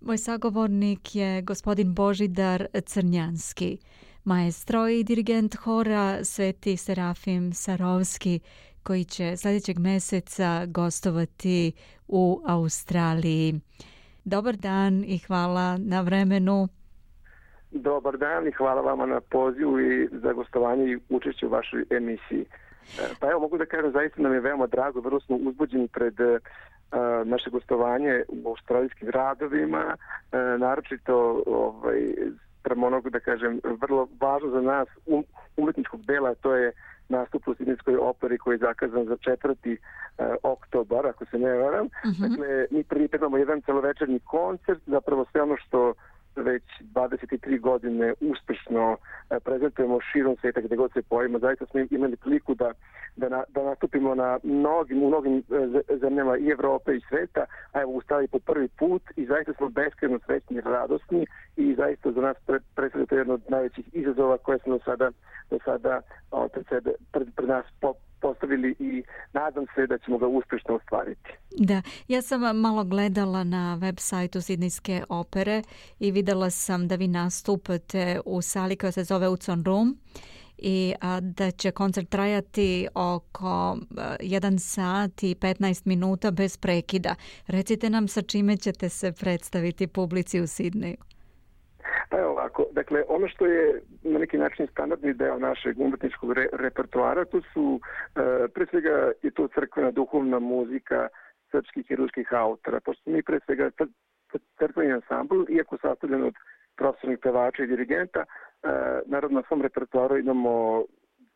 Moj sagovornik je gospodin Božidar Crnjanski, maestro i dirigent hora Sveti Serafim Sarovski, koji će sljedećeg mjeseca gostovati u Australiji. Dobar dan i hvala na vremenu. Dobar dan i hvala vama na pozivu i za gostovanje i učešće u vašoj emisiji. Pa evo, mogu da kažem, zaista nam je veoma drago, vrlo smo uzbuđeni pred naše gostovanje u australijskim gradovima, naročito prema onog, da kažem, vrlo važno za nas umetničkog dela, to je nastup u Sidnejskoj operi koji je zakazan za 4. oktobar, ako se ne varam. Dakle, mi pripremamo jedan celovečernji koncert, zapravo sve ono što već 23 godine uspešno prezentujemo širom sveta gdje god se pojavimo. Zaista smo imali priliku da nastupimo u mnogim zemljama i Evrope i sveta, a evo ustali po prvi put i zaista smo beskrajno srećni i radosni i zaista za nas predstavlja to jedno od najvećih izazova koje smo do sada pred nas postavili i nadam se da ćemo ga uspješno ostvariti. Da, ja sam malo gledala na web sajtu Sidnejske opere i videla sam da vi nastupate u sali koja se zove Utzon Room i da će koncert trajati oko 1 sat i 15 minuta bez prekida. Recite nam sa čime ćete se predstaviti publici u Sidneju. Pa evo ovako, dakle, ono što je na neki način standardni deo našeg umetničkog repertoara, to su, pre svega je to crkvena duhovna muzika srpskih i ruskih autora, pošto mi pre svega crkveni ansambl, iako sastavljen od profesionalnih pevača i dirigenta, naravno na svom repertoaru imamo,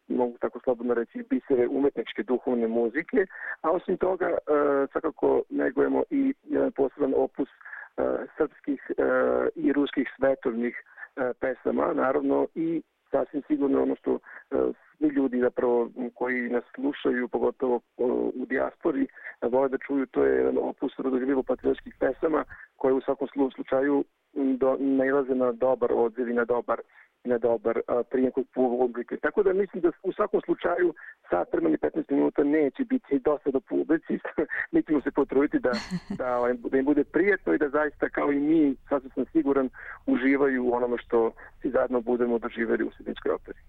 mogu tako slobodno reći, bisere umetničke duhovne muzike, a osim toga svakako negujemo i jedan poseban opus srpskih i ruskih svetovnih pesama, naravno i sasvim sigurno ono što svi ljudi zapravo koji nas slušaju, pogotovo u dijaspori, vole da čuju, to je jedan opus rodoljubivo-patriotskih pesama koje u svakom slučaju nailaze na dobar odziv i na dobar prijem kod publike. Tako da mislim da u svakom slučaju sat vremena i 15 minuta neće biti dosta do publici. Mi ćemo se potruditi da im bude prijetno i da zaista kao i mi, sasvim sam siguran, uživaju u onome što svi zajedno budemo doživjeli u Sidnejskoj operi.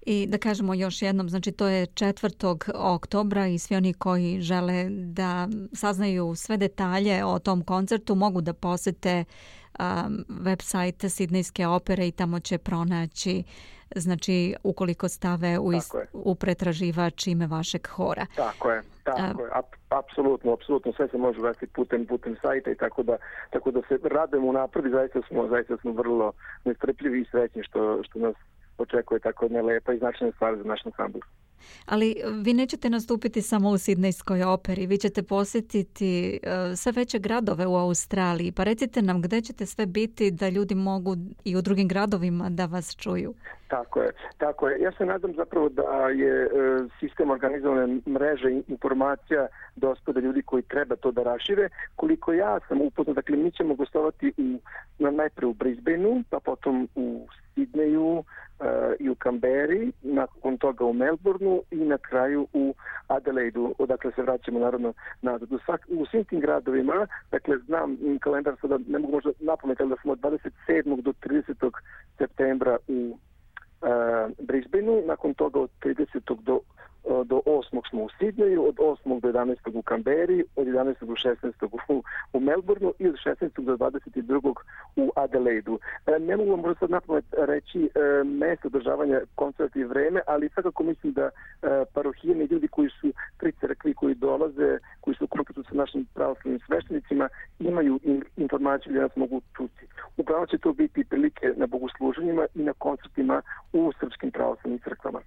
I da kažemo još jednom, znači to je 4. oktobra i svi oni koji žele da saznaju sve detalje o tom koncertu mogu da posete website Sidnejske opere i tamo će pronaći, znači ukoliko stave u pretraživač ime vašeg hora. Tako je. Apsolutno, sve se može uvesti putem sajta i tako da se radujemo unapred i zaista smo vrlo nestrpljivi i srećni što nas očekuje tako jedna lepa i značajna stvar za naš ansambl. Ali vi nećete nastupiti samo u Sidnejskoj operi, vi ćete posjetiti sve veće gradove u Australiji. Pa recite nam gdje ćete sve biti da ljudi mogu i u drugim gradovima da vas čuju. Tako je. Ja se nadam zapravo da je sistem organizovane mreže informacija dosta da ljudi koji treba to da rašire. Koliko ja sam upoznat, dakle mi ćemo gostovati najprije u Brisbaneu, pa potom u Sidneju i u Kamberi, nakon toga u Melbourneu i na kraju u Adelaidu, odakle se vraćamo naravno nazad. U svim tim gradovima, dakle znam kalendar sada, ne mogu možda napomenuti, ali da smo od 27. do 30. septembra u Brisbaneu, nakon toga od 30. do 8. smo u Sidneju, od 8. do 11. u Kamberi, od 11. do 16. u Melbourneu i od 16. do 22. u Adelaidu. Ne mogu vam možda sad napomenuti reći mjesto održavanja koncerta i vreme, ali svakako mislim da parohijeni ljudi koji su pri crkvi, koji dolaze, koji su u kontaktu sa našim pravoslavnim sveštenicima, imaju informaciju gdje nas mogu čuti. Upravo će to biti prilike na bogosluženjima i na koncertima u srpskim pravoslavnim crkvama.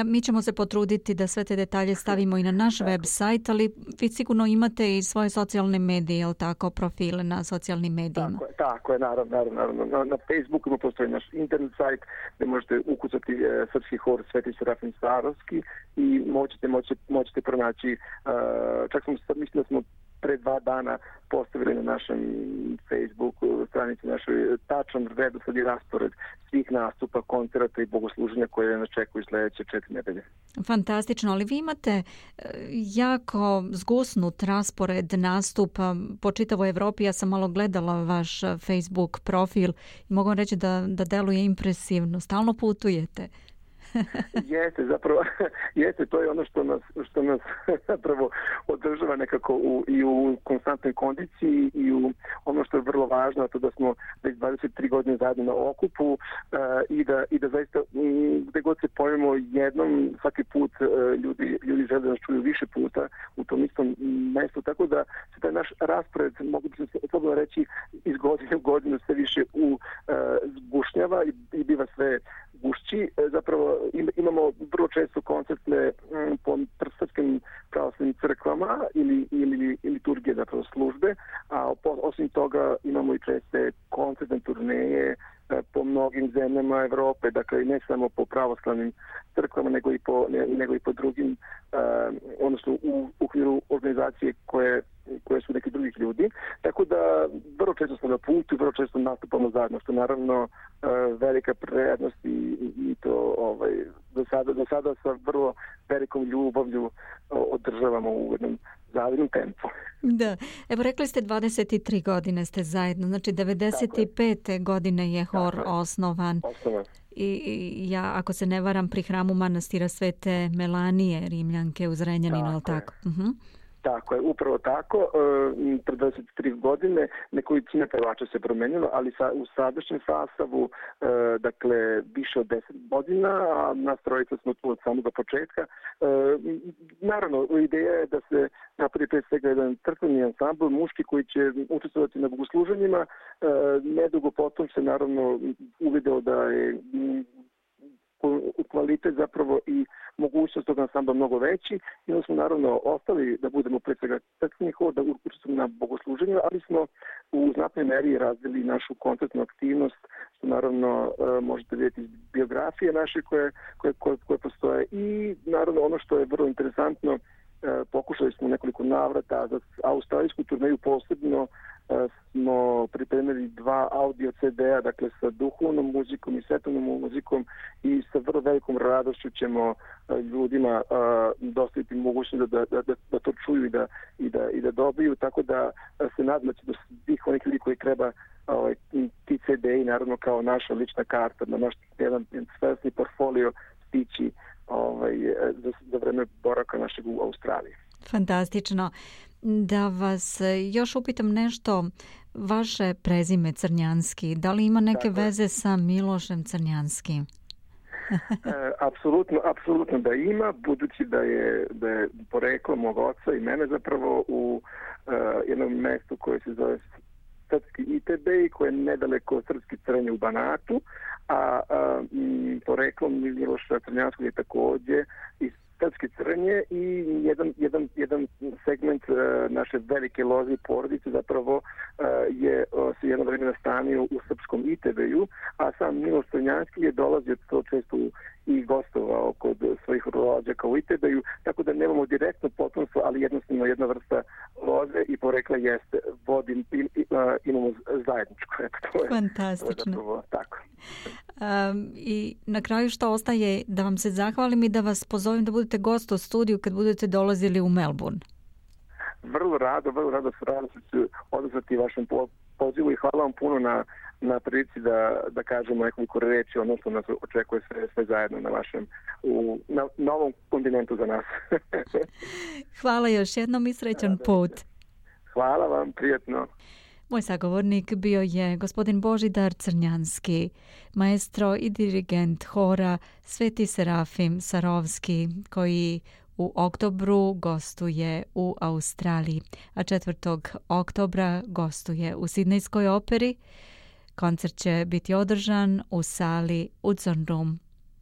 Mi ćemo se potruditi da sve te detalje stavimo i na naš web sajt, ali vi sigurno imate i svoje socijalne medije, jel tako, profile na socijalnim medijima? Tako je, naravno. Na Facebooku postoji naš internet sajt gdje možete ukucati srpski hor Sveti Serafim Sarovski i možete pronaći, mislim da smo pre 2 dana postavili na našem Facebook stranici našoj tačan redosled i raspored svih nastupa, koncerata i bogosluženja koje nas čekuju sljedeće 4 nedelje. Fantastično, ali vi imate jako zgusnut raspored nastupa po čitavoj Evropi. Ja sam malo gledala vaš Facebook profil i mogu reći da deluje impresivno. Stalno putujete. Jeste, to je ono što nas zapravo održava nekako i u konstantnoj kondiciji i u ono što je vrlo važno, to da smo već 23 godine zajedno na okupu i da zaista gde god se pojavimo jednom, svaki put ljudi žele da nas čuju više puta u tom istom mestu, tako da se taj naš raspored, mogu bi se slobodno reći, iz godine u godinu sve više zgušnjava i biva sve gušći. Zapravo imamo vrlo često koncertne po srpskim pravoslavnim crkvama ili liturgije, zapravo službe, a osim toga imamo i česte koncertne turneje po mnogim zemljama Evrope, dakle ne samo po pravoslavnim crkvama, nego i po drugim, odnosno u okviru organizacije koje su neki drugih ljudi. Tako da vrlo često smo na putu, vrlo često nastupamo zajedno, što naravno velika prednost i to do sada sa vrlo velikom ljubavlju održavamo u jednom zavidnom tempu. Da, evo rekli ste 23 godine ste zajedno, znači 95. godine je hor osnovan. I ja, ako se ne varam, pri hramu manastira Svete Melanije, Rimljanke u Zrenjaninu, ali tako? Tako je, upravo tako. Pred 23 godine nekolicina pevača se promenila, ali u sadašnjem sastavu, dakle, više od 10 godina, a nas trojica smo tu od samog početka. Naravno, ideja je da se napravi pre svega jedan crkveni ansambl, muški, koji će učestvovati na bogosluženjima. Nedugo potom se naravno uvideo da je kvalitet zapravo i mogućnost tog ansambla mnogo veći i onda smo naravno ostali da budemo pre svega crkveni hor, da učestvujemo na bogosluženju, ali smo u znatnoj meri razvili našu koncertnu aktivnost, što naravno možete vidjeti iz biografije naše koje postoje i naravno ono što je vrlo interesantno, pokušali smo nekoliko navrata za australijsku turneju posebno smo pripremili 2 audio CD-a, dakle sa duhovnom muzikom i svetovnom muzikom i sa vrlo velikom radošću ćemo ljudima dostaviti mogućnost da to čuju i da dobiju, tako da se nadam da će do svih onih ljudi koji treba ti CD-i, naravno kao naša lična karta, na naš jedan svesni portfolio stići za vreme boravka našeg u Australiji. Fantastično. Da vas još upitam nešto, vaše prezime Crnjanski, da li ima neke veze sa Milošem Crnjanskim? Apsolutno da ima, budući da je poreklo mog oca i mene zapravo u jednom mestu koje se zove Srpski Itebej, koje je nedaleko Srpski Crnje u Banatu, a poreklo Miloša Crnjanskog je također iz Srpske Crnje i jedan segment naše velike loze i porodice zapravo se jedno vreme nastanio u Srpskom Itebeju, a sam Miloš Crnjanski je dolazio to često i gostovao kod svojih rođaka u Itebeju, tako da nemamo direktno potomstvo, ali jednostavno jedna vrsta loze i porekla jeste imamo zajedničko. Fantastično. Tako. I na kraju što ostaje da vam se zahvalim i da vas pozovem da budete gost u studiju kad budete dolazili u Melbourne. Vrlo rado ću odazvati vašem pozivu i hvala vam puno na prilici da kažemo nekoliko reči ono što nas očekuje sve zajedno na novom kontinentu za nas. Hvala još jednom i srećan put. Hvala vam, prijatno. Moj sagovornik bio je gospodin Božidar Crnjanski, maestro i dirigent hora Sveti Serafim Sarovski, koji u oktobru gostuje u Australiji, a 4. oktobra gostuje u Sidnejskoj operi. Koncert će biti održan u sali Hudson Room